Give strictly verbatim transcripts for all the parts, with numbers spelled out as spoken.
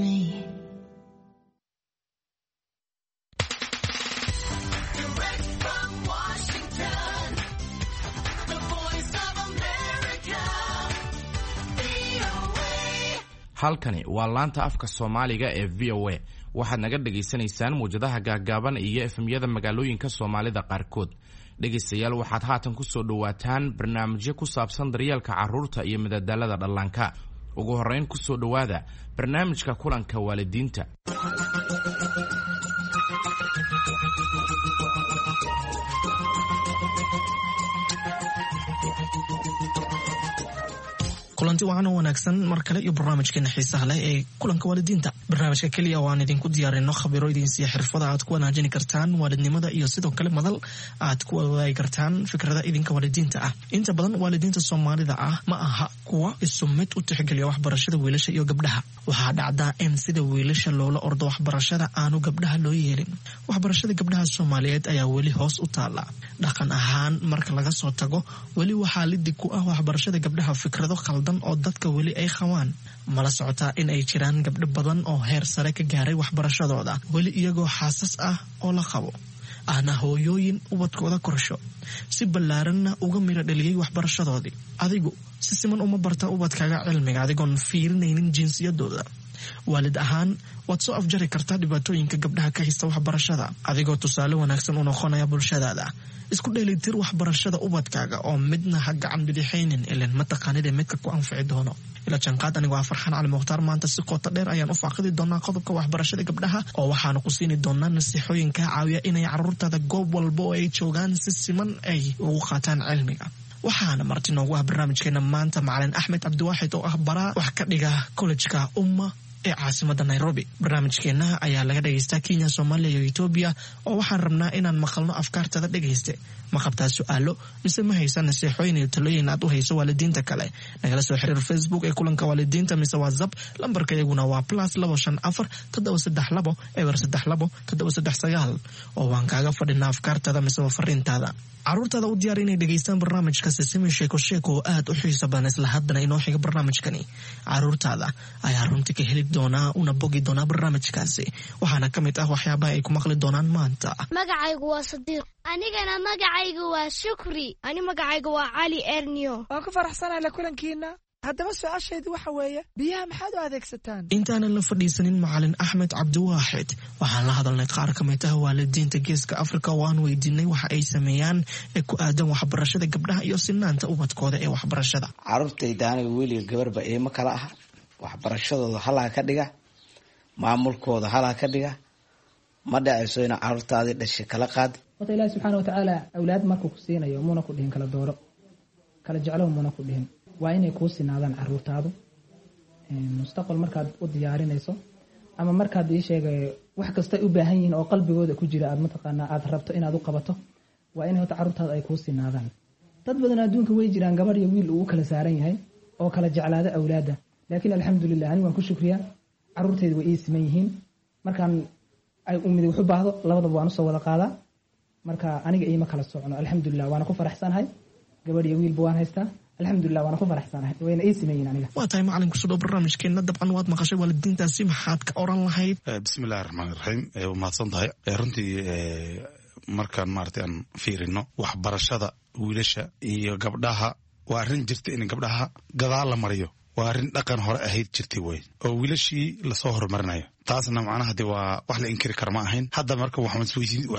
Me. Direct from Washington, the voice of America, V O A. Halkani waa laanta afka Soomaaliga ee V O A. Waxaad naga dhagaysanaysaan muwjadaha gaagaaban iyo F M-yada magaalooyinka Soomaalida qaarkood. Dhegaystayaal, waxaad haatan ku soo dhowaataan barnaamijyo ku saabsan daryeelka carruurta iyo madadaalada dhallaanka. Ugu horrayn, ku soo dhowaada barnaamijka kulanka waalidiinta. Kulanti wacan oo wanaagsan mar kale iyo barnaamijkeena xiisaha leh ee kulanka waalidiinta, barnaamijka keliya oo aan idinku diyaarino khabiro idin siiya xirfada aad ku wanaajini kartaan waalidnimada iyo sidoo kale madal aad ku wadaagi kartaan fikrada idinka waalidiinta ah. Inta badan waalidiinta Soomaalida ah ma aha kuwa isu mid u tixgeliya waxbarashada wiilasha iyo gabdhaha. Waxaa dhacdaa in sida wiilasha loola ordo waxbarashada aanu gabdhaha loo yeelin. Waxbarashada gabdhaha Soomaaliyeed ayaa weli hoos u taala dhaqan ahaan marka laga soo tago. Weli waxaa lidig ku ah waxbarashada gabdhaha fikrado khaldan oo dadka weli ay qabaan. Mala socotaa in ay jiraan gabdho badan oo heer sare ka gaaray waxbarashadooda, weli iyagoo xaasas ah oo la qabo, ahna hooyooyin ubadkooda korsho, si ballaaranna uga miro dhaliyey waxbarashadoodii? Adigu si siman uma barta ubadkaaga cilmiga adigoon fiirinaynin jinsiyadooda? Waalid ahaan waad soo afjari kartaa dhibaatooyinka gabdhaha ka haysta waxbarashada adigoo tusaale wanaagsan u noqonaya bulshadaada. Isku dheelitir waxbarashada ubadkaaga oo midna ha gacan bidixaynin, ilan mataqaanida midka ku anfici doono. Ila janqaad. Anigu waa Farxaan Cali Mukhtaar. Maanta si qoto dheer ayaan u faaqidi doonaa qodobka waxbarashada gabdhaha, oo waxaanu ku siini doonaa nasiixooyin kaa caawiya inay caruurtaada goob walba oo ay joogaan si siman ay ugu qaataan cilmiga. Waxaana marti noogu ah barnaamijkeena maanta macalin Axmed Cabdiwaaxid oo ah baraa wax ka dhiga kollejka Umma ee caasimada Nairobi. Barnaamijkeena ayaa laga dhegaystaa Kenya, Soomaaliya iyo Etoobiya, oo waxaan rabnaa inaan maqalno afkaartada. Dhegayste, ma qabtaa su-aalo mise ma haysa nasiixooyin iyo talooyin aad u hayso waalidiinta kale? Nagala soo xiriir Facebook ee kulanka waalidiinta mise WhatsApp. Lambarka iyaguna waa plus labo shan afar toddoba saddex labo eber saddex labo toddoba saddex sagaal, oo waan kaaga fadhinaa afkaartada mise fariintaada. Caruurtaada u diyaar inay dhegaystaan barnaamijka Sisimi Sheeko Sheeko oo aad u xiiso badan. Isla haddana inoo xiga barnaamijkani caruurtaada ayaa runtii ka heli doonaa una bogi doonaa barnaamijkaasi. Waxaana ka mid ah waxyaabaha ay ku maqli doonaan maanta: Magacaygu waa Sadiiq. Anigana magacaygu waa Shukri. Ani magacaygu waa Cali Ernio. Waan ku faraxsanahay la kulankiina. Haddaba su-aashaydu waxa weeye, biyaha maxaad u adeegsataan? Intaanan la fadhiisanin macalin Axmed Cabdiwaaxid, waxaan la hadalnay qaar ka mid ah waalidiinta Geeska Afrika oo aan weydiinay waxa ay sameeyaan ee ku aadan waxbarashada gabdhaha iyo sinaanta ubadkooda ee waxbarashada. Carruurtayda aniga weliga gabarba iima kala ah. Waxbarashadooda halaa ka dhiga, maamulkooda halaa ka dhiga. Ma dhacayso ina carruurtaadii dhashay kala qaad. Horta Ilaahi subxaana watacaala awlaad markuu ku siinayo muuna ku dhihin kala dooro, kala jeclow muuna ku dhihin. Waa inay kuu sinaadaan caruurtaadu mustaqbal markaad u diyaarinayso ama markaad ii sheegay wax kasta u baahan yihiin oo qalbigooda ku jira aad mataqaanaa aad rabto inaad u qabato. Waa in horta carruurtaadu ay kuu sinaadaan. Dad badan adduunka way jiraan gabadh iyo wiil uu u kala saaran yahay oo kala jeclaada awlaadda, laakiin alxamdulilah, anigu waan ku shukriyaa, carruurtaydu way ii siman yihiin. Markaan ay umid wax u baahdo, labadaba waan usoo wada qaadaa. Marka aniga iima kala socno, alxamdulilah, waana ku faraxsanahay. Gabadh iyo wiilba waan haystaa, alxamdulilah, waana ku faraxsanahay, wayna ii siman yihiin aniga. Waa tahay macalin, kusoo dhow barnaamijkeena. Dabcan waad maqashay waalidiintaasi, maxaad ka oran lahayd? Bismi illahi raxmaan iraxiim. Waa mahadsan tahay. Runtii markaan maaragtay aan fiirino waxbarashada wiilasha iyo gabdhaha, waa arrin jirta in gabdhaha gadaal la mariyo. Waa arrin dhaqan hore ahayd jirtay wey, oo wiilashii lasoo horumarinayo. Taasna macnaha de waa wax la inkiri kara ma ahayn. Hadda marka waxaan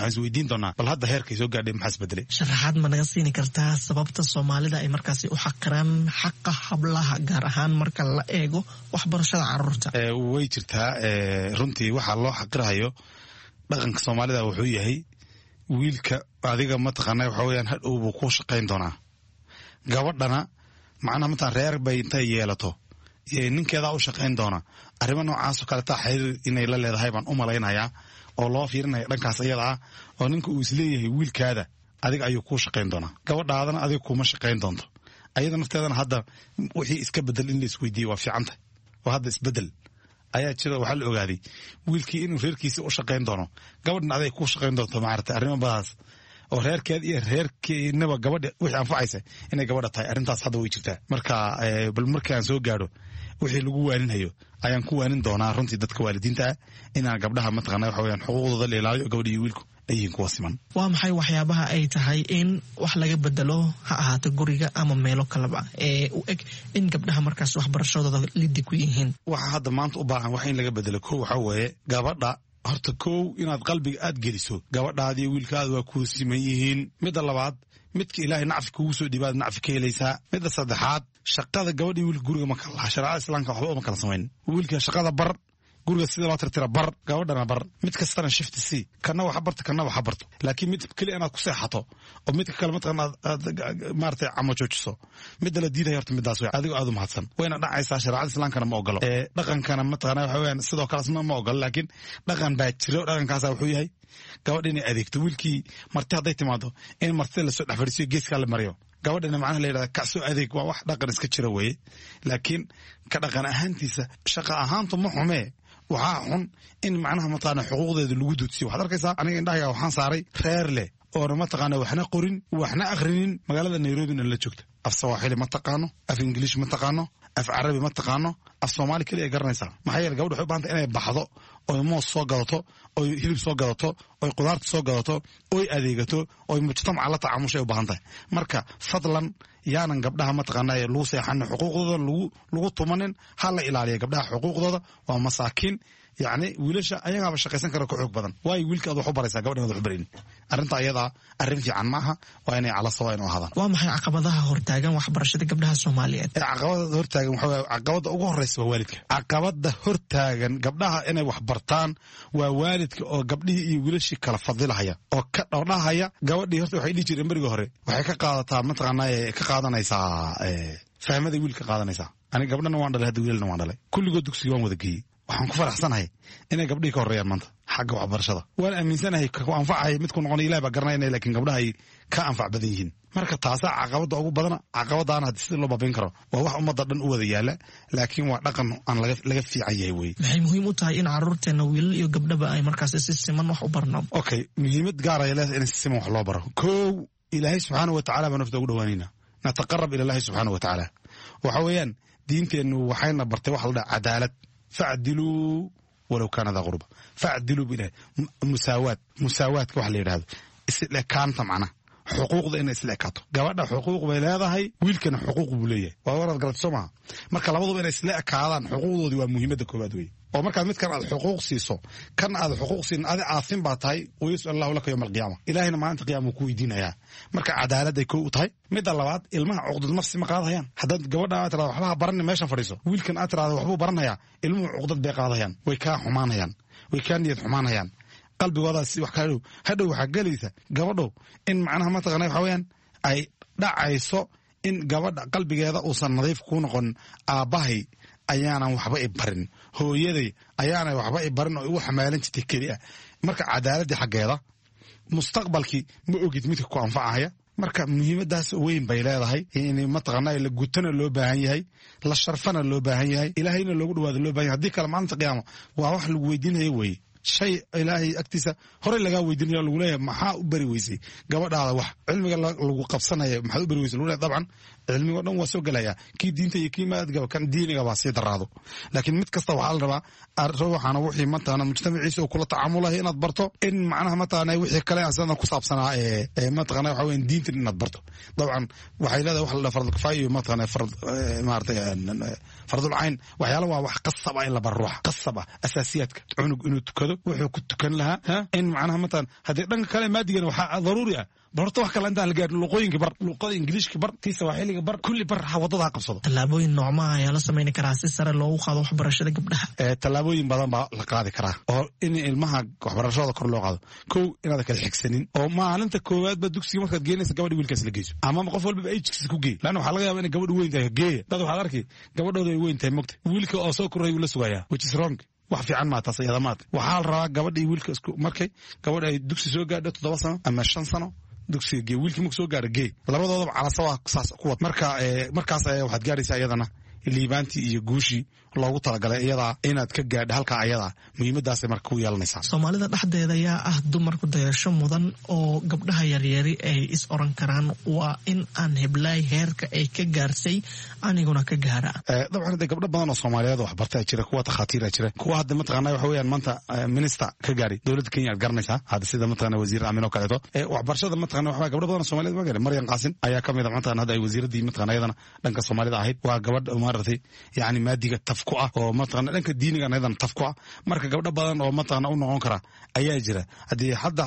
isweydiin doonaa, bal hadda heerkay soo gaadhay maxaa isbedelay? Sharaxaad ma naga siini kartaa sababta Soomaalida ay markaasi u xaqiraan xaqa hablaha, gaar ahaan marka la eego waxbarashada caruurta? Way jirtaa. Runtii waxaa loo xaqirahayo dhaqanka Soomaalida wuxuu yahay wiilka adiga mataqaana waxa weyaan hadhow buu ku shaqayn doonaa. Gabadhana macnaha mataan reer bay intay yeelato ninkeedaa u shaqayn doona. Arrimo noocaasoo kaletaa xiriir inay la leedahay baan u malaynayaa, oo loo fiirinaya dhankaas iyada ah, oo ninka uu isleeyahay wiilkaada adiga ayuu kuu shaqayn doonaa, gabadhaadana adiga kuma shaqayn doonto. Ayada nafteedana hadda wixii iska bedel in la isweydiiye waa fiicanta, oo hadda isbedel ayaa jira. Waxaa la ogaaday wiilkii inuu reerkiisa u shaqayn doono, gabadhna aday kuu shaqayn doonto. Maarata arrimo badaas Oo reerkeed iyo reerkeenaba gabadha wixii anfacaysa inay gabadha tahay, arrintaas hadda way jirtaa. Marka bal markaan soo gaadho wixii lagu waaninhayo ayaan ku waanin doonaa runtii dadka waalidiinta ah, inaan gabdhaha mataqana waxa weyaan xuquuqdooda la ilaaliyo, gabadha iyo wiilku ay yihiin kuwa siman. Waa maxay waxyaabaha ay tahay in wax laga bedelo, ha ahaato guriga ama meelo kaleba, ee u eg in gabdhaha markaas waxbarashadooda lidi ku yihiin? Waxa hadda maanta u baahan wax in laga bedelo, kow waxaa weeye gabadha horta, kow inaad qalbiga aad geliso gabadhaadi iyo wiilkaada waa kuu siman yihiin. Midda labaad, midka Ilaahay nacfi kugu soo dhiibaad nacfi ka helaysaa. Midda saddexaad, shaqada gabadha iyo wiilka guriga ma kala laha. Shareecada Islaamka waxba uma kala samayn. Wiilka shaqada bar, guriga sida loo tirtira bar, gabadhana bar. Mid kastana shift c, kana waxa barto, kana waxa barto. Laakiin mid keli inaad ku seexato oo midka kale mataqan aad maaragtay camo joojiso, midda la diidaya horta midaas wey. Adigoo aad u mahadsan, wayna dhacaysaa. Shareecada Islaamkana ma ogolo, ee dhaqankana mataqana waxa weeyaan sidoo kale asna ma ogolo. Laakiin dhaqan baa jiro. Dhaqankaasa wuxuu yahay gabadha inay adeegto wiilkii. Marti hadday timaado in martida lasoo dhex fadhiisiyo, geeskaa la mariyo, gabadhana macnaha la yidhahda kacsoo adeeg. Waa wax dhaqan iska jira weeye. Laakiin ka dhaqan ahaantiisa, shaqa ahaantu ma xumee. Waxaa xun in macnaha mataqaana xuquuqdeeda lagu duudsiyo. Waxaad arkaysaa, aniga indhahayga waxaan saaray reer leh oona mataqaana waxna qorin waxna akhrinin, magaalada Nairobina la joogta. Af Sawaaxili ma taqaano, af Ingiliish ma taqaano, af Carabi ma taqaano, af Soomaali keliya ay garanaysaa. Maxaa yeele gabadha waxay u bahantay inay baxdo oy moos soo gadato, oy hilib soo gadato, oy qudaarta soo gadato, oy adeegato, oy mujtamaca la tacaamushay u baahan tahay. Marka fadlan yaanan gabdhaha mataqaanaa lagu seexanin, xuquuqdooda lagu lagu tumanin. Ha la ilaaliya gabdhaha xuquuqdooda, waa masaakiin. Yacni wiilasha ayagaaba shaqaysan kara, ka xoog badan. Waayo wiilka aad wax u baraysaa, gabadhan aad wax u baraynin? Arrinta ayadaa arrin fiican maaha. Waa inay cala sawa inu ahaadaan. Waa maxay caqabadaha hortaagan waxbarashada gabdhaha Soomaaliyeed? Ee caqabada hortaagan waxa weeye, caqabada ugu horeysa waa waalidka. Caqabada hortaagan gabdhaha inay wax bartaan waa waalidka oo gabdhihii iyo wiilashii kala fadilahaya oo ka dhowdhahaya. Gabadhii horta waxay dhihi jireen berigii hore waxay ka qaadataa mataqaanaa ka qaadanaysaa fahmada wiilka qaadanaysaa. Aniga gabdhana waan dhalay hadda, wiilalna waan dhalay. Kulligood dugsiga waan wada geeyey. Waxaan ku faraxsanahay inay gabdhihii ka horreeyaan maanta xagga waxbarashada. Waan aaminsanahay ku anfacaya midku noqonay Ilahi baa garanaya, lakin gabdhaha ay ka anfac badan yihiin. Marka taasaa caqabada ugu badana. Caqabadaana hadii sida loo baabin karo waa wax ummadda dhan u wada yaala, laakiin waa dhaqan aan laga laga fiican yahay wey. Maxay muhiim u tahay in caruurteena wiilal iyo gabdhaba ay markaas si siman wax u barno? Okay, muhiimad gaar ay leedahay in si siman wax loo baro. Kow, Ilaahay subxaana wa tacala baan nafta ugu dhawaanayna, nataqarab ila Allahi subxaana wa tacaala. Waxa weeyaan diinteennu waxayna bartay waxa la dhaha cadaalad. Facdiluu walow kaana daa qurba, facdiluu bilahi. Musaawaad, musaawaadka waxa la yidhahdo isla ekaanta, macnaha xuquuqda inay isla ekaato. Gabadha xuquuq bay leedahay, wiilkana xuquuq buu leeyahay. Waa waraad garatay soo maha? Marka labaduba inay isla ekaadaan xuquuqdoodii waa muhiimadda koowaad weeye. Oo markaad midkan aad xuquuq siiso, kan aad xuquuq siin, adi aasin baa tahay. Wayus'al Allahu laka yowma alqiyaama, Ilaahina maalinta qiyama uu ku weydiinayaa. Marka cadaaladday kow u tahay. Midda labaad, ilmaha cuqdad nafsi ma qaadayaan. Haddaad gabadha aad tirahdo waxba ha baranin, meeshan fadhiiso, wiilkan aad tirahdo waxbuu baranayaa, ilmuhu cuqdad bay qaadayaan, way kaa xumaanayaan, way kaa niyad xumaanayaan, qalbigoodaas wax kaa dhow. Hadhow waxaa gelaysa gabadhow in macnaha mataqana waxa weeyaan ay dhacayso in gabadha qalbigeeda uusan nadiif ku noqon. Aabbahay ayaanan waxba i barin, hooyaday ayaanay waxba i barin oo igu xamaalan jirtay keli ah. Marka cadaaladdii xaggeeda, mustaqbalkii ma ogid midka ku anfacaya. Marka muhiimadaas weyn bay leedahay in mataqaanaa la gutana loo baahan yahay, la sharfana loo baahan yahay, Ilaahayna loogu dhawaado loo baahan yahay. Haddii kale maalinta qiyaama waa wax lagu weydiinaya weeye, shay Ilaahay agtiisa horey lagaa weydiinaya, lagu leeyahay maxaa u bari weysay gabadhaada wax cilmiga lagu qabsanaya, maxaad u bari weysay lagu leeyahay. Dabcan cilmigo dhan waa soo gelaya, kii diinta iyo kii maadgaba, kan diiniga baa sii daraado. Laakiin mid kasta waxaa la rabaa ruuxana wixii mataqaana mujtamaciisa uu kula tacaamulayo inaad barto, in macnaha mataqaana wixii kale asana ku saabsanaa ee mataqaana waxa weeyaan diintan inaad barto. Dabcan waxay leedahay wax la dhaha fardul kifaaya iyo mataqaana fard maaragtay fardul cayn. Waxyaala waa wax qasab ah in la baro ruuxa, qasab ah asaasiyaadka, cunug inuu tukado, wuxuu ku tukan lahaa, in macnaha mataqaana haddii dhanka kale maadigana waxaa daruuri ah. Bal horta wax kale intaan la gaarin, luqooyinka bar, luqada Ingiliishka bar, tii Sawaaxiliga bar, kulli bar, ha waddada ha qabsado. Tallaabooyin noocmaha ayaa la samayni karaa si sare loogu qaado waxbarashada gabdhaha? Tallaabooyin badan baa la qaadi karaa oo in ilmaha waxbarashadooda kor loo qaado. Kow, inaad kala xigsanin oo maalinta koowaadba dugsiga markaad geenaysa gabadha wiilkaas la geyso, ama qof walbaba age-kiisa ku geey, laanna waxaa laga yaaba inay gabadhu weyn tahay. Geeya dad waxaad arki gabadhooda ay weyn tahay mogta, wiilka oo soo koray wuu la sugayaa, which is wrong. Wax fiican maa taas iyada maata. Waxaa la rabaa gabadha iyo wiilka isku markay gabadha ay dugsi soo gaadho toddoba sano ama shan sano dugsiga gee, wiilkii marku soo gaaro gee, labadoodaba calasawa saas ku wad. Marka markaas ayaa waxaad gaaraysaa iyadana Liibaantii iyo guushii loogu talagalay iyadaa inaad ka gaadha halkaa ayadaa, muhiimadaasay marka ku yeelanaysaa. Soomaalida dhexdeeda ayaa ah dumarku dayasho mudan oo gabdhaha yaryari ay is oran karaan waa in aan heblaay heerka ay ka gaarsay aniguna ka gaara? Dabcan de gabdho badan oo soomaaliyeed waxbartaa jira, kuwa takhaatiira jira, kuwa hadda mataqaana waxa weeyaan maanta minister ka gaaray dowladda Kenya aad garanaysaa hadda, sida mataqaana wasiir Aamin oo kaleeto. Waxbarashada mataqaana waxaa gabdho badan oo soomaaliyeed waa gaaray. Maryam Qaasin ayaa ka mid ah mataqaana hadda ay wasiiraddii mataqaana iyadana dhanka soomaalida ahayd. Waa gabadh maaragtay yacni maadiga taf ku ah oo mataqaana dhanka diinigan iyadana taf ku ah. Marka gabdho badan oo mataqaana u noqon kara ayaa jira. Haddii hadda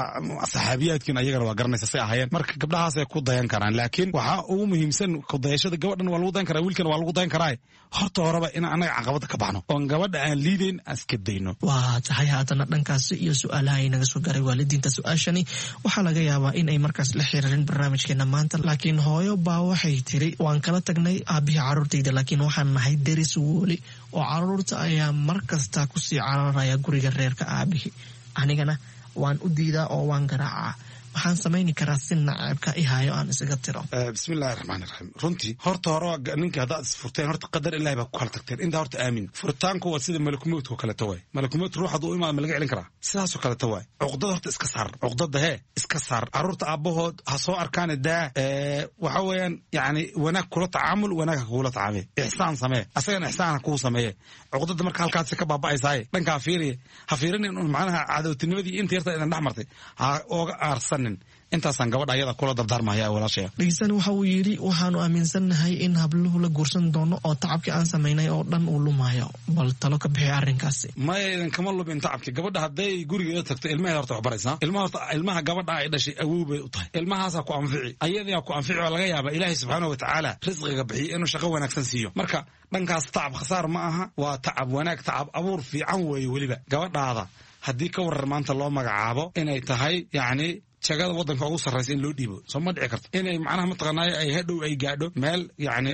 saxaabiyaadkiin ayagana waa garanaysa say ahaayeen. Marka gabdhahaasay ku dayan karaan, laakiin waxaa ugu muhiimsan kudayashada gabadhan waa lagu dayan karaa, wiilkan waa lagu dayan karaa. Horta horeba in annaga caqabada ka baxno oon gabadha aan liidayn aan iska dayno. Waa tahay. Haatana dhankaasi iyo su-aalaha inaga soo gaaray waalidiinta. Su-aashani waxaa laga yaabaa in ay markaas la xiriirin barnaamijkeena maanta, laakiin hooyo baa waxay tiri waan kala tagnay aabihii caruurtayda, laakiin waxaan nahay deris weli oo caruurta ayaa mar kasta kusii cararaya guriga reerka aabihii, anigana waan u diidaa oo waan garaacaa. Waxaan samayni karaa si naceebka i hayo aan isaga tiro? Bismillahi raxmaani raxiim. Runtii horta hore ninka haddaad isfurteen, horta qadar ilahi baa ku kala tagteen, intaa horta aamin. Furitaanku waa sida malakumowdka oo kaleeto waay. Malakumowd ruux hadduu u imaado ma laga celin karaa? Sidaasoo kaleeto waay. Cuqdada horta iska saar, cuqdada hee iska saar. Carruurta aabbahood ha soo arkaane daa. Waxa weeyaan yacni wanaag kula tacaamul, wanaag ha kugula tacaamee, ixsaan samee, asagana ixsaan ha kuu sameeye. Cuqdada marka halkaasi ka baaba'aysaaye dhankaa fiiriye, ha fiirinin un macnaha cadowtinimadii inta yarta idan dhex martay ha ooga aarsanin. Intaasaan gabadha ayada kula dardaarmaya walaashaya. Dhegeystan waxa uu yidhi waxaanu aaminsannahay in habluhu la guursan doono oo tacabkii aan samaynay oo dhan uu lumayo, bal talo ka bixi arrinkaasi. Maya, idan kama lumin tacabki. Gabadha hadday gurigeeda tagto ilmaheeda horta wax baraysaa. Ilmaha horta ilmaha gabadha ay dhashay awow bay u tahay, ilmahaasaa ku anfici, ayadaa ku anfici. Oo laga yaaba Ilaahay subxaanahu watacaala risqiga bixiyo inuu shaqo wanaagsan siiyo. Marka dhankaas tacab khasaar ma aha, waa tacab wanaag, tacab abuur fiican weeye. Weliba gabadhaada haddii ka warar maanta loo magacaabo inay tahay yacni jagada waddanka ugu sarraysa in loo dhiibo, soo ma dhici karto inay macnaha mataqaanaayo ay hadhow ay gaadho meel yacni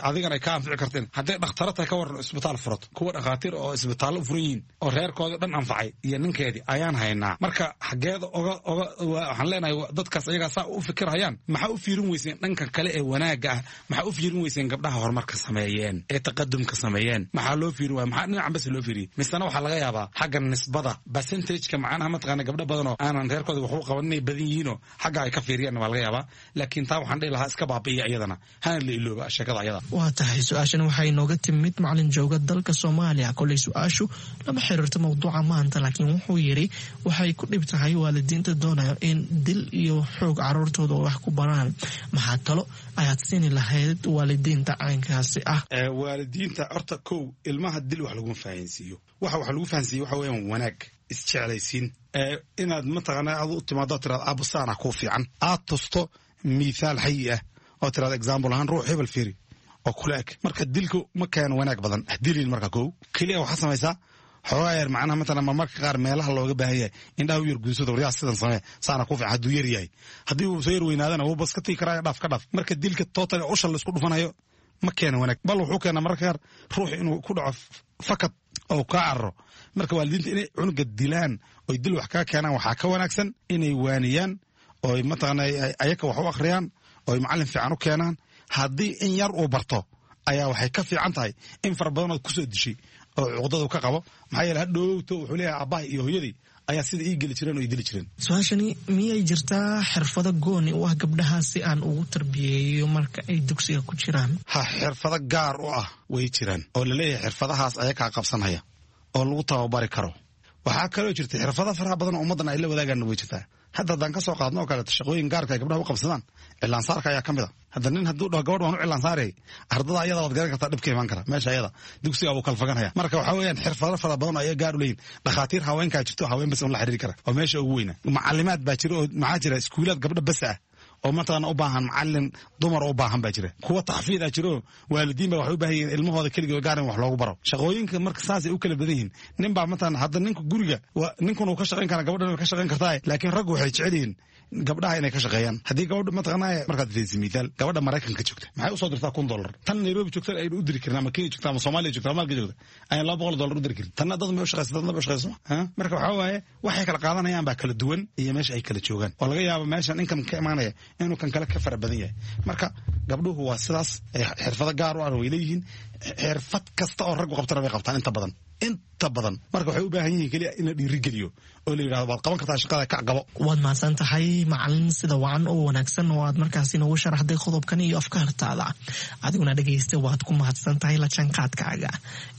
adigan ay ka anfici karteen? Hadday dhakhtaro tahay ka waran isbitaal furato, kuwa dhakhaatiir oo isbitaallo u furan yihiin oo reerkooda dhan anfacay iyo ninkeedii ayaan haynaa. Marka xaggeeda oga oga waxaan leenahay dadkaas ayagaa saa u fikirhayaan, maxaa u fiirin weyseen dhanka kale ee wanaagga ah? Maxaa u fiirin weyseen gabdhaha horumarka sameeyeen ee taqadumka sameeyeen? Maxaa loo fiirin waaya? Maxaa dhinacan bas loo fiiriyey? Misena waxaa laga yaabaa xagga nisbada percentageka macnaha mataqaana gabdho badan oo aanan reerkooda waxu qaban inay badan yihiinoo xagga ay ka fiiriyaan waa laga yaabaa. Laakiin taa waxaan dhihi lahaa iska baabi'iya iyadana, hana la ilooba sheekada ayada. Waa tahay. Su-aashan waxay inooga timid macalin jooga dalka Soomaaliya. Koley su-aashu lama xiriirto mawduuca maanta, laakiin wuxuu yidhi waxay ku dhib tahay waalidiinta doonayo in dil iyo xoog caruurtooda wax ku baraan. Maxaa talo ayaad siini lahayd waalidiinta caynkaasi ah? Waalidiinta horta kow ilmaha dil wax laguma fahansiiyo. Waxa wax lagu fahansiiyo waxa weeyaan wanaag, isjeclaysiin, inaad mataqaana aad u timaado tiraad aabbo saana kuu fiican, aad tusto mithaal xayi ah oo tiraad example ahaan ruux hebel fiiri oo kula eg. Marka dilku ma keeno wanaag badan, dilin. Marka kow keliya waxaa samaysaa xoogaa yar macnaha matalan marmarka qaar meelaha looga baahan yahay indhaha u yar guudsado, waryaa sidan samee, saana ku fiican hadduu yar yahay. Haddii uu soo yar weynaadana wuu bas ka tigi karaa, dhaaf ka dhaaf. Marka dilka total usha la isku dhufanayo ma keeno wanaag, bal wuxuu keenaa mararka qaar ruux inuu ku dhaco fakad oo kaa cararo. Marka waalidiinta inay cunuga dilaan oy dil wax kaga keenaan waxaa ka wanaagsan inay waaniyaan oy mataqaana ayaka wax u akhriyaan oy macallin fiican u keenaan. Haddii in yar uu barto ayaa waxay ka fiican tahay in fara badanood kusoo dishay oo cuqdadu ka qabo. Maxaa yeele hadhowto wuxuu leeyahay aabbahay iyo hooyadii ayaa sida ii geli jireen oo ii dili jireen. Su-aashani miyay jirtaa xirfado gooni u ah gabdhaha si aan ugu tarbiyeeyo marka ay dugsiga ku jiraan? Ha, xirfado gaar u ah way jiraan oo laleeyahay xirfadahaas ayakaa qabsanhaya oo lagu tababari karo. Waxaa kaloo jirta xirfado faraha badan oo ummaddan ay la wadaagaan way jirtaa. Hadda haddaan ka soo qaadno oo kaleeto shaqooyin gaarka ay gabdhaha u qabsadaan, cilaansaarka ayaa ka mid a. Hadda nin hadduu dhaho gabadh waan u cilaansaarayay, ardada ayada waad garan kartaa dhibka imaan kara meesha ayada, dugsiga wuu kala faganhaya. Marka waxaa weeyaan xirfado fara badan oo ayaga gaar u leeyihin. Dhakhaatiir haweenkaa jirto, haween bas un la xiriiri kara oo meesha ugu weyna. Macallimaad baa jira oo maxaa jira iskuulaad gabdho bas ah oo mataqaana u baahan macalin dumar u baahan baa jira. Kuwa taxfiid ah jiro, waalidiin baa waxay u baahan yihiin ilmahooda keligood gaar in wax loogu baro. Shaqooyinka marka saasay u kala badan yihiin. Nin baa mataqaana hadda ninka guriga ninkun uu ka shaqayn karaa, gabadhan way ka shaqayn kartaa, laakiin raggu waxay jecel yihiin Gabdhaha inay ka shaqeeyaan. Haddii gabadha mataqaanaa markaad fiiriso mithaal, gabadha Maraykanka joogta maxay usoo dirtaa kun dollar, tan Nairobi joogta aynu u diri karin, ama Kenya joogta, ama Soomaaliya joogta, ama halka joogta ayaan laba boqol dollar u diri karin. Tanna dad ma u shaqeysa, dadna ma u shaqeysa. Marka waxaa waaye waxay kala qaadanayaan baa kala duwan iyo meesha ay kala joogaan, oo laga yaabo meeshan income ka imaanaya inuu kan kale ka fara badan yahay. Marka gabdhuhu waa sidaas, xirfado gaar u ah way leeyihiin. Xirfad kasta oo raggu qabtana bay qabtaan inta badan, inta badan. Marka waxay u baahan yihiin keliya in la dhiirigeliyo oo la yidhahdo waad qaban kartaa shaqada, kac, qabo. Waad mahadsan tahay macalin, sida wacan oo wanaagsan oo aad markaasi noogu sharaxday qodobkan iyo afkaartaada. Adiguna dhegaysta, waad ku mahadsan tahay la jaanqaadkaaga.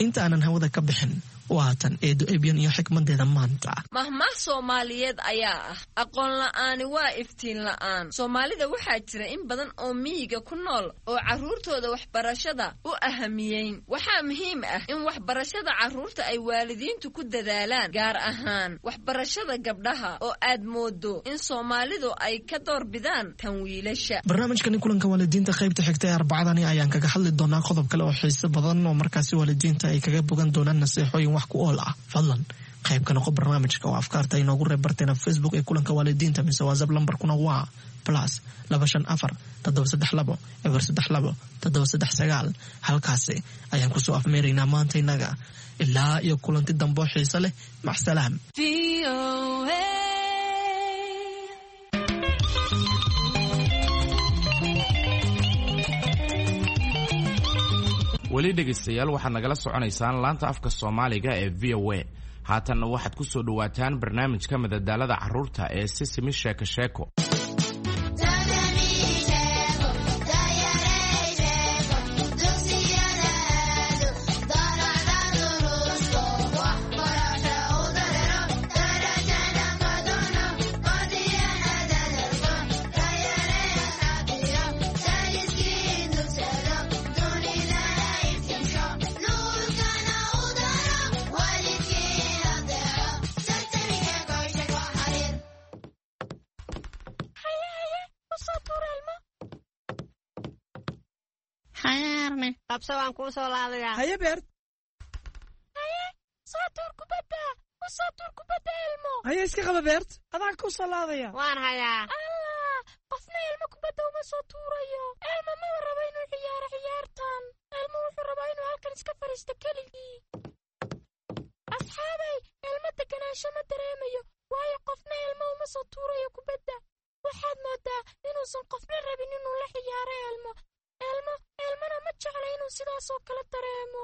Inta aanan hawada ka bixin, waatan Eedo Ebyan iyo xikmadeeda maanta. Mahmaah Soomaaliyeed ayaa ah: "Aqoon la'aani waa iftiin la'aan." Soomaalida waxaa jira in badan oo miyiga ku nool oo carruurtooda waxbarashada u ahamiyeyn. Waxaa muhiim ah in waxbarashada carruurta ay waalidiintu ku dadaalaan, gaar ahaan waxbarashada gabdhaha oo aad moodo in Soomaalidu ay ka doorbidaan tan wiilasha. Barnaamijkani kulanka waalidiinta qaybta xigta ee Arbacadani ayaan kaga hadli doonaa qodob kale oo xiiso badan oo markaasi waalidiinta ay kaga bogan doonaan naseexooyin wax ku ool ah. Fadlan qayb ka noqo barnaamijka oo afkaarta inoogu reeb barteena Facebook ee kulanka waalidiinta, mise WhatsApp. Lambarkuna waa plus laba shan afar toddoba saddex labo eber saddex labo toddoba saddex sagaal. Halkaasi ayaan kusoo afmeeraynaa maanta innaga. Ilaa iyo kulanti dambo xiise leh, macsalaam. Weli dhegaystayaal, waxaad nagala soconaysaan laanta afka Soomaaliga ee V O A. Haatanna waxaad ku soo dhowaataan barnaamijka madadaalada carruurta ee Sisimi Sheeko Sheeko. Qabso, waan kuu soo laadayaa. Haye Beert. Haye, soo tuur kubadda, u soo tuur kubadda Elmo. Haye, iska qaba Beert, adaan kuu soo laadaya. Waan hayaa. Allah, qofna Elmo kubadda uma soo tuurayo. Elmo maba rabo inuu ciyaaro ciyaartan. Elmo wuxuu rabaa inuu halkan iska fadhiisto keligii. Asxaabay, Elmo deganaansho ma dareemayo, waayo qofna Elmo uma soo tuurayo kubadda. Waxaad moodaa inuusan qofna rabin inuu la ciyaaro Elmo. Elmo Elmona ma jecla inuu sidaasoo kale dareemo.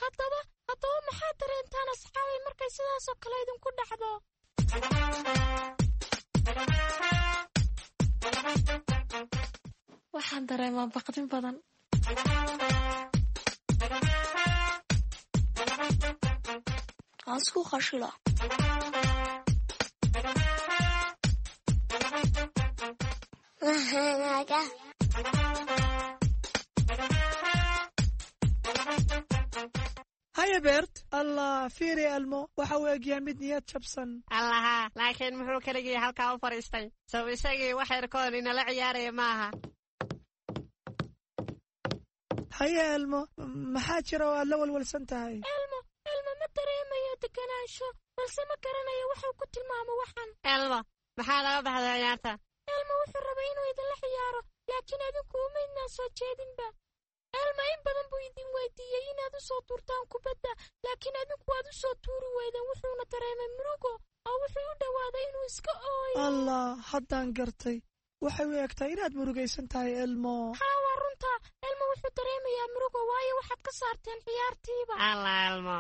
Haddaba haddaba maxaad dareentaan, asxaabay, markay sidaasoo kale idinku dhacdo? Waxaan dareemaa baqdin badan. Waan isku qashila. Mahanaga. Haye Beert. Allah, fiiri Elmo, waxa uu egyahay mid niyad jabsan. Allaha, laakiin muxuu keligii halkaa u fadhiistay? Sow isagii wax yarkoon inala ciyaaraya maaha? Haye Elmo, maxaa jira oo aad la walwalsan tahay? Elmo Elmo ma dareemayo deganaansho, balse ma garanayo waxuu ku tilmaamo waxan. Elmo, maxaa laga baxday ciyaarta? Elmo wuxuu rabay inuu idinla ciyaaro, laakiin adinku umaydnaa soo jeedinba. Elmo in badan buu idin weydiiyey inaad u soo tuurtaan kubadda, laakiin adinku waad u soo tuuri weydeen. Wuxuuna dareemay murugo oo wuxuu u dhowaaday inuu iska ooyo. Allah, haddaan gartay. Waxay u egtahay inaad murugaysan tahay, Elmo. Haa, waa runta. Elmo wuxuu dareemayaa murugo, waayo waxaad ka saarteen ciyaartiiba. Allah Elmo,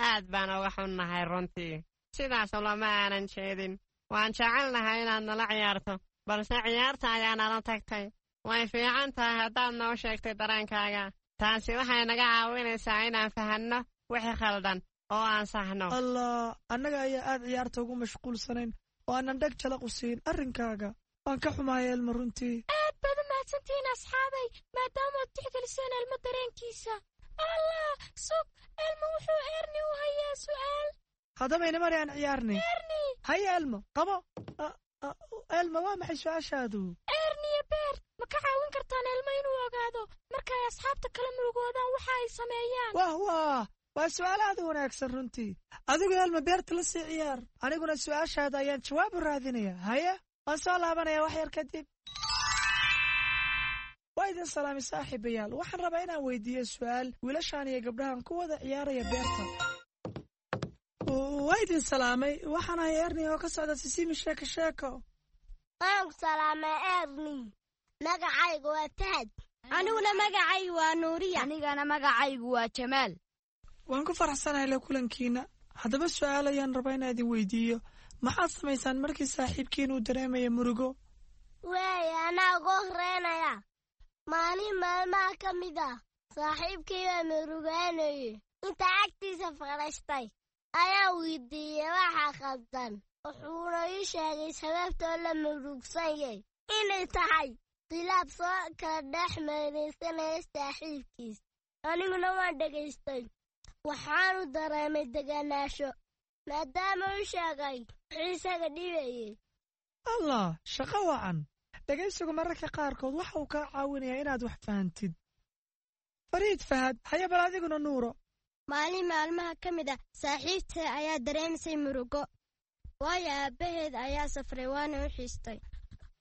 aad baan uga xunnahay runtii. Sidaas lama aanan jeedin. Waan jecelnahay inaad nala ciyaarto, balse ciyaarta ayaa nala tagtay. Way fiican tahay haddaad noo sheegtay dareenkaaga. Taasi waxay naga caawinaysaa inaan fahanno wixii khaldan oo aan saxno. Allah, annaga ayaa aad ciyaarta ugu mashquulsanayn oo aanan dheg jalaq u siin arrinkaaga. Waan ka xumahay Elmo runtii. Aad baad u mahadsantihiin asxaabay, maadaamaad tixgeliseen Elmo dareenkiisa. Allah, sug, Elmo wuxuu Erni u hayaa su'aal. Haddaba inamari aan ciyaarnay. Erni. Haye Elmo, qabo. Elmo, waa maxay su-aashaadu? Erniyo Beert, ma ka caawin kartaan Elmo inuu ogaado marka ay asxaabta kala murugoodaan waxa ay sameeyaan? Wah wah, waa su'aal aad u wanaagsan runtii. Adigu Elmo beerta la sii ciyaar, aniguna su'aashaada ayaan jawaab u raadinaya. Haye, Waan soo laabanayaa wax yar kadib. Waa idin salaamay saaxiibayaal. Waxaan rabaa inaan weydiiyo su'aal wiilashan iyo gabdhahan ku wada ciyaaraya beerta. Waa idin salaamay. Waxaan ahay Erni oo ka socda Sisimi Sheeko Sheeko. Waan ku salaamay Erni. Magacaygu waa Fahad. Aniguna magacaygu waa Nuuriya. Anigana magacaygu waa Jamaal. Waan ku faraxsanahay la kulankiina. Haddaba su'aal ayaan rabaa inaan idin weydiiyo. Maxaad samaysaan markii saaxiibkiin uu dareemaya murugo? Waay, anaa ugu horeynaya. Maalin maalmaha ka mid ah saaxiibkii baa murugaanayay. Inta agtiisa fadhiistay ayaa weydiiyey waxa khaldan. Wuxuuna ii sheegay sababtoo la murugsan yahay inay tahay khilaaf soo kala dhex marinsanaya saaxiibkiis. Aniguna waan dhegaystay. Waxaanu dareemay deganaansho maadaama uu sheegay wuxuu isaga dhibayay. Allah, shaqo wacan. Dhegaysigu mararka qaarkood waxa uu kaa caawinayaa inaad wax fahantid. Fariid Fahad, haya bal adiguna Nuuro. Maalin maalmaha ka mid ah saaxiibtay ayaa dareemisay murugo. Waayo aabbaheed ayaa safray waana u xiistay.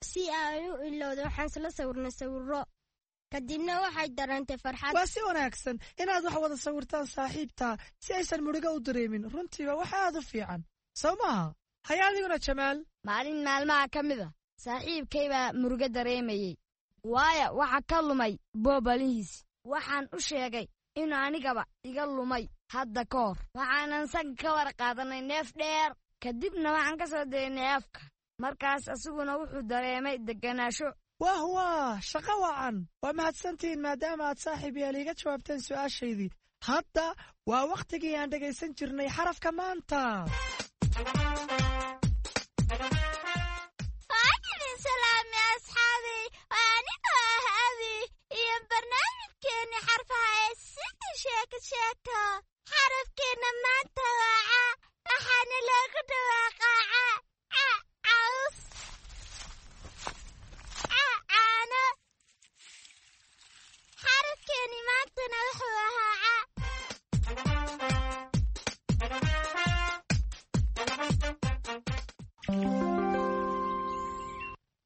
Si ay u ilowdo waxaan isla sawirnay sawirro. Kadibna waxay dareentay farxad. Waa si wanaagsan inaad wax wada sawirtaan saaxiibtaa si aysan murugo u dareemin. Runtiiba wax aad u fiican. Soo maaha? Haya adiguna Jamaal. Maalin maalmaha ka mid ah saaxiibkay baa murugo dareemayey. Waayo waxa ka lumay boobalihiis. Waxaan u sheegay inuu anigaba iga lumay hadda ka hor. Waxaanan sanka ka war qaadanay neef dheer. Kadibna waxaan ka soo daynay afka. Markaas asiguna wuxuu dareemay deganaansho. Wah wah, shaqo wacan. Waa mahadsantihiin maadaama aad saaxiib yaal iiga jawaabteen su'aashaydii. Hadda waa wakhtigii aan dhegaysan jirnay xarafka maanta. Waan idin salaamay asxaabay. Waa anigoo ah Abi iyo barnaamijkeeni xarfaha ee Sisi Sheeko Sheeko. Xarafkeena maanta waa ca, waxaana loogu dhawaaqaa ca, ca, caws, ca, caano. Xarafkeeni maantana wuxuu ahaa ca.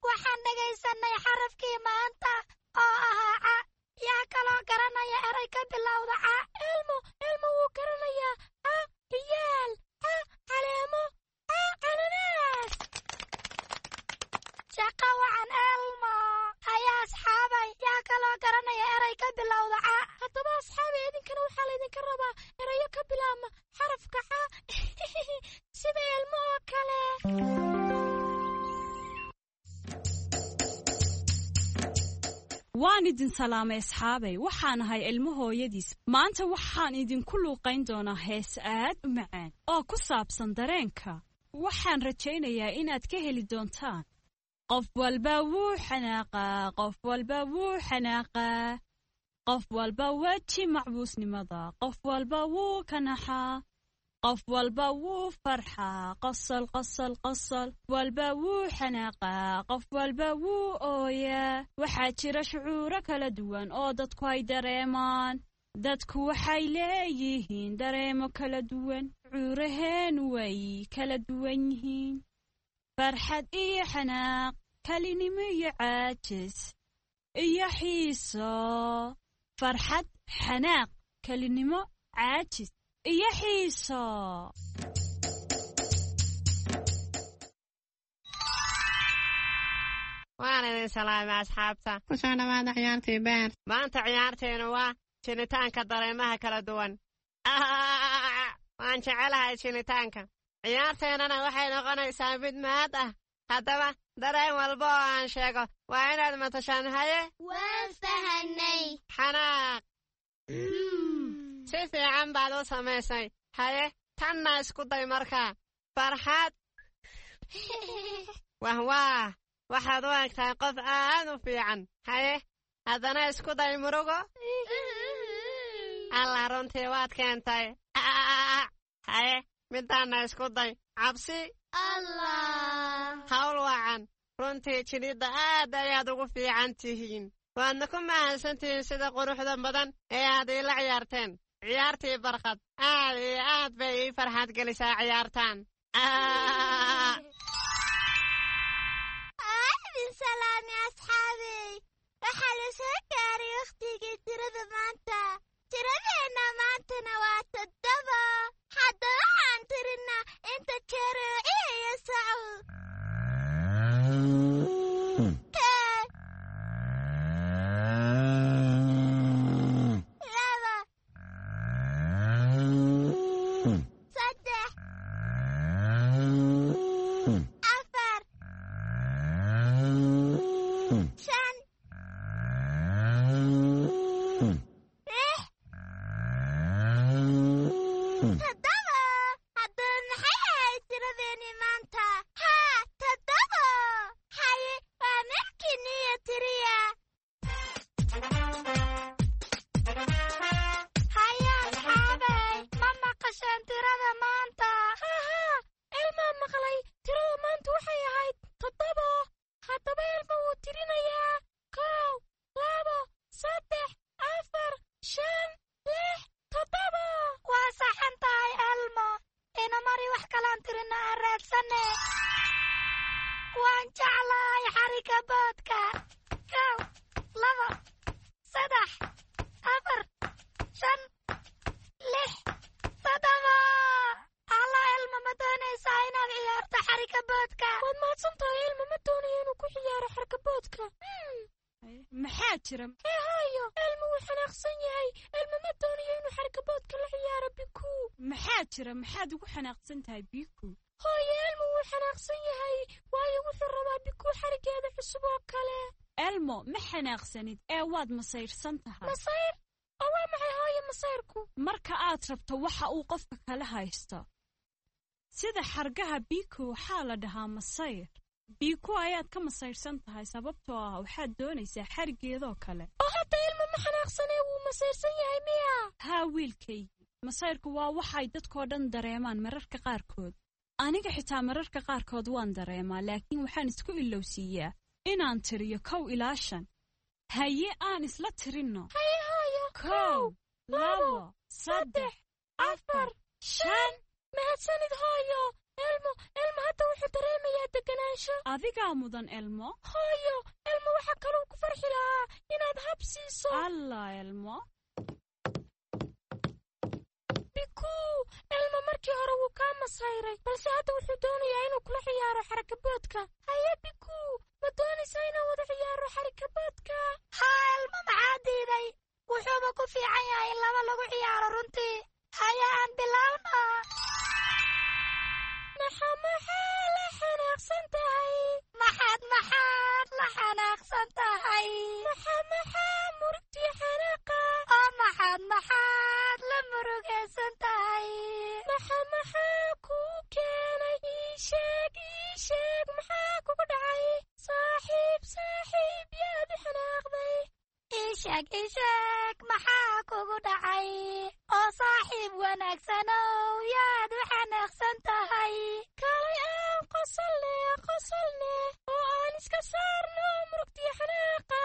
Waxaan dhegaysanay xarafkii maanta oo ahaa ca. Yaa kaloo garanaya eray ka bilowda ca? Ilmo, ilmo wuu garanayaa. Ca, ciyaal, ca, caleemo, ca, cananaas. Shaqo wacan Elmo. Haya asxaabay, yaa kaloo garanaya eray ka bilowda ca? Haddaba asxaabay, idinkana waxaa laydinka rabaa erayo ka bilaabma xarafka ca sida ilmo oo kale. Waan idin salaamay asxaabay. Waxaan ahay ilmo hooyadiis. Maanta waxaan idinku luuqayn doonaa hees aad u macaan oo ku saabsan dareenka. Waxaan rajaynayaa inaad ka heli doontaan. Qof walba wuu xanaaqaa, qof walba wuu xanaaqaa. Qof walba weji macbuusnimada, qof walba wuu kanaxaa. Qof walba wuu farxaa, qosol qosol qosol. Walba wuu xanaaqaa, qof walba wuu ooyaa. Waxaa jira shucuuro kala duwan oo dadku ay dareemaan. Dadku waxay leeyihiin dareemo kala duwan. Shucuuraheenu way kala duwan yihiin. Farxad iyo xanaaq, kalinimo iyo caajis, iyo xiiso. Farxad, xanaaq, kalinimo, caajis iyo xiiso. Waan idin salaamay asxaabta. Ku soo dhawaada ciyaartii beer. Maanta ciyaarteenu waa jinitaanka dareemaha kala duwan. Waan jecelahay jinitaanka. Ciyaarteennana waxay noqonaysaa mid mahad ah. Haddaba dareen walba oo aan sheego waa inaad matashaan. Haye? Waan fahanay. Xanaaq. Si fiican baad u samaysay. Haye, tanna isku day markaa. Farxad. Wah wah, waxaad u egtahay qof aad u fiican. Haye, haddana isku day murugo. Allah, runtii waad keentay. Haye, midaanna isku day cabsi. Allah. Hawl wacan. Runtii jilidda aad ayaad ugu fiican tihiin. Waadna ku mahadsantihiin sida quruxda badan ee aad iila ciyaarteen. Ciyaartii barkad aad iyo aad bay ii farxad gelisaa ciyaartaan. salaamay asxaabey. Waxaa la soo gaaray wakhtigii tirada maanta. Tiradeenna maantana waa toddoba. Haddaba waxaan tirinaa inta jeer uu ciyayo sacu. Kow, laba, saddex, afar, shan, lix, toddoba. Haddaba maxay ahayd tiradeenii maanta? Haa, toddoba. Haye, waa markiiniyo tiriya. Haye asxaabey, ma maqasheen tirada maanta? Haa, Elmaa maqlay. Tirada maanta waxay ahayd toddoba. Haddaba Elma wuu tirinayaa. Kow, labo, saddex, afar, shan, lix, toddoba. Waa saxan tahay Elmo. Ina mari wax kalaan tirina aan raadsane. Waan jeclahay xarigga boodka. Kow, labo, saddex, afar, shan, lix, toddoba. Alla Elmo, ma doonaysaa inaad ciyaarto xarigga boodka? Waad mahadsan tahay Elmo, ma doonayo inuu ku ciyaaro xarga boodka. Maxaa jira? Hee hooyo, Elmo wuu xanaaqsan yahay. Elmo ma doonayo inuu xarga boodka la ciyaaro Bikuu. Maxaa jira? Maxaad ugu xanaaqsan tahay Biku? Hooyo, Elmo wuu xanaaqsan yahay, waayo wuxuu rabaa Bikuu xarigeeda cusub oo kale. Elmo, ma xanaaqsanid ee waad masayrsan tahay. Masayr? Oo waa maxay hooyo masayrku? Marka aad rabto waxa uu qofka kala haysto. Sida xargaha Biku waxaa la dhahaa masayr. Biku ayaad ka masayrsan tahay sababtoo ah waxaad doonaysaa xarigeedoo kale. Oo hadda Elmo ma xanaaqsanee wuu masayrsan yahay miya? Haa wiilkaygii, masayrku waa waxay dadkoo dhan dareemaan mararka qaarkood. Aniga xitaa mararka qaarkood waan dareemaa, laakiin waxaan isku ilowsiiyaa inaan tiriyo kow ilaa shan. Haye, aan isla tirinno. Haye hooyo. Kow, labo, saddex, afar, shan. Mahadsanid hooyo. Elmo, Elmo hadda wuxuu dareemayaa deganaansho. Adigaa mudan Elmo. Hooyo, Elmo waxaa kaloo ku farxi lahaa inaad hab siiso. Allah Elmo. Bikuu, Elmo markii hore wuu kaa masayray, balse hadda wuxuu doonayaa inuu kula ciyaaro xarakaboodka. Haye Bikuu, ma doonaysaa inaan wada ciyaaro xarakaboodka? Haa Elmo, maxaa diiday? Wuxuuba ku fiican yahay in laba lagu ciyaaro runtii. Haye aan bilaawno. Maxaa maxaa la xanaaqsan tahay? Maxaad maxaad la xanaaqsan tahay? Maxaa maxaa murugtii xanaaqa? Oo maxaad maxaad la murugaysan tahay? Maxaa maxaa kuu keenay? Ii sheeg, ii sheeg, maxaa kugu dhacay? Saaxiib, saaxiib, yaad u xanaaqday. Ii sheeg, ii sheeg, maxaa kugu dhacay? Oo saaxiib wanaagsanow, yaad u xanaaqsan tahay. Kaalay aan qosolne, qosolne, oo aan iska saarno murugtii xanaaqa.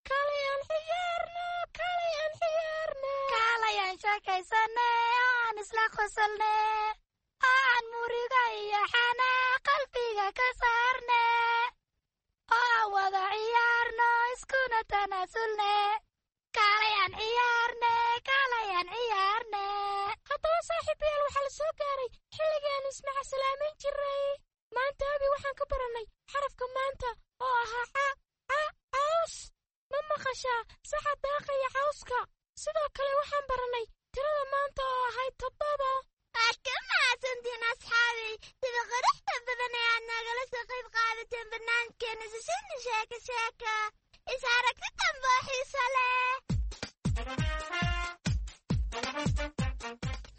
Kaalay aan ciyaarno, kaalay aan ciyaarno. Kaalay aan sheekaysane, oo aan isla qosolne, oo aan muriga iyo xanaaq qalbiga ka saarne, oo aan wada ciyaarno, iskuna tanaasulne. Kaalay aan ciyaarne, kaalay aan ciyaarne. Haddaba saaxiibayaal, waxaa la soo gaaray xilligii aanu ismaca salaamayn jirnay. Maanta abi waxaan ka barannay xarafka maanta oo ahaa ca, ca, caws. Ma maqashaa saxa daaqaya cawska? Sidoo kale waxaan barannay tirada maanta oo ahayd toddoba. Waad ka mahadsantiin asxaabey sida quruxda badan ee aad nagala soo qayb qaadateen barnaamijkeena Sisina Sheeko Sheeko. Is aragti dambe oo xiiso leh.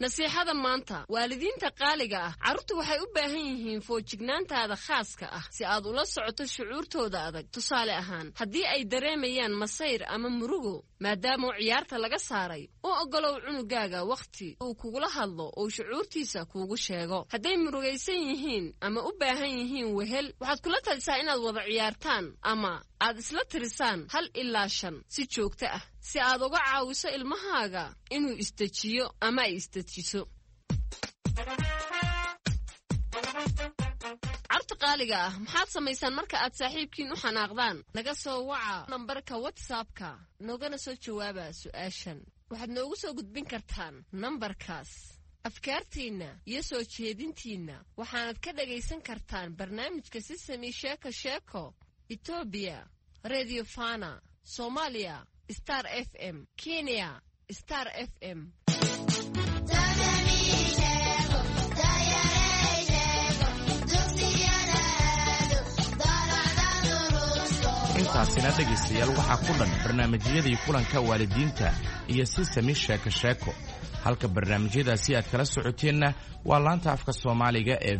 Nasiixada maanta, waalidiinta qaaliga ah, carruurtu waxay u baahan yihiin foojignaantaada khaaska ah si aad ula socoto shucuurtooda adag. Tusaale ahaan, haddii ay dareemayaan masayr ama murugo maadaama ciyaarta laga saaray, u oggolow cunugaaga wakhti uu kugula hadlo oo shucuurtiisa kuugu sheego. Hadday murugaysan yihiin ama u baahan yihiin wehel, waxaad kula talisaa inaad wada ciyaartaan ama aad isla tirisaan hal ilaa shan si joogto ah si aad uga caawiso ilmahaaga inuu isdejiyo ama ay isdejiso. Carruurta qaaliga Qaaliga ah, maxaad samaysaan marka aad saaxiibkiin u xanaaqdaan? Naga soo waca nambarka WhatsAppka, noogana soo jawaaba su'aashan. Waxaad noogu soo gudbin kartaan nambarkaas afkaartiinna iyo soo jeedintiinna. Waxaanad ka dhagaysan kartaan barnaamijka Sisami Sheeko Sheeko Etoobiya Radio Fana, Soomaaliya Star F M, Kenya Star F M. Intaasina dhegaystayaal waxaa ku dhan barnaamijyadii kulanka waalidiinta iyo Sisami Sheeko Sheeko. Halka barnaamijyadaasi aad kala socoteenna waa laanta afka Soomaaliga ee